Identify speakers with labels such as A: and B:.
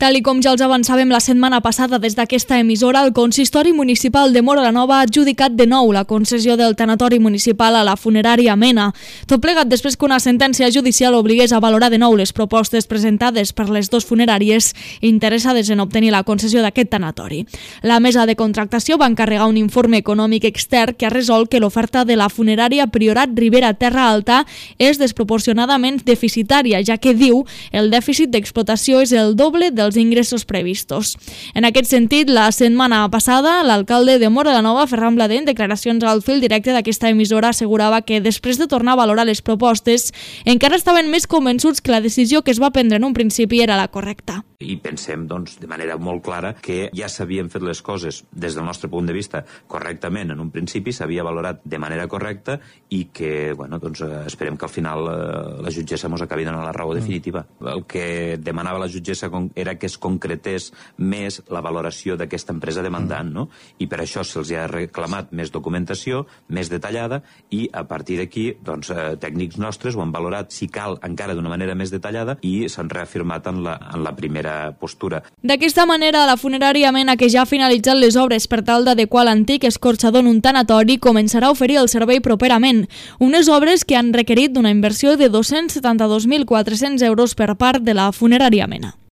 A: Tal i com ja els avançàvem la setmana passada des d'aquesta emissora, el Consistori Municipal de Móra la Nova ha adjudicat de nou la concessió del tanatori municipal a la funerària Mena. Tot plegat després que una sentència judicial obligués a valorar de nou les propostes presentades per les dues funeràries interessades en obtenir la concessió d'aquest tanatori. La mesa de contractació va encarregar un informe econòmic extern que ha resolt que l'oferta de la funerària Priorat Ribera Terra Alta és desproporcionadament deficitària, ja que diu el dèficit d'explotació és el doble dels ingressos previstos. En aquest sentit, la setmana passada, l'alcalde de Móra la Nova, Ferran Blader, en declaracions al fil directe d'aquesta emissora, assegurava que després de tornar a valorar les propostes, encara estaven més convençuts que la decisió que es va prendre en un principi era la correcta.
B: I pensem, doncs, de manera molt clara que ja s'havien fet les coses des del nostre punt de vista correctament. En un principi s'havia valorat de manera correcta i que, bueno, doncs, esperem que al final la jutgessa mos acabi donant la raó definitiva. El que demanava la jutgessa era que es concretés més la valoració d'aquesta empresa demandant, no? I per això se'ls ha reclamat més documentació, més detallada, i a partir d'aquí, doncs, tècnics nostres ho han valorat, si cal, encara d'una manera més detallada, i s'han reafirmat en la primera postura.
A: D'aquesta manera, la funerària Mena, que ja ha finalitzat les obres per tal d'adequar l'antic escorxador en un tanatori, començarà a oferir el servei properament. Unes obres que han requerit d'una inversió de 272.400 euros per part de la funerària Mena.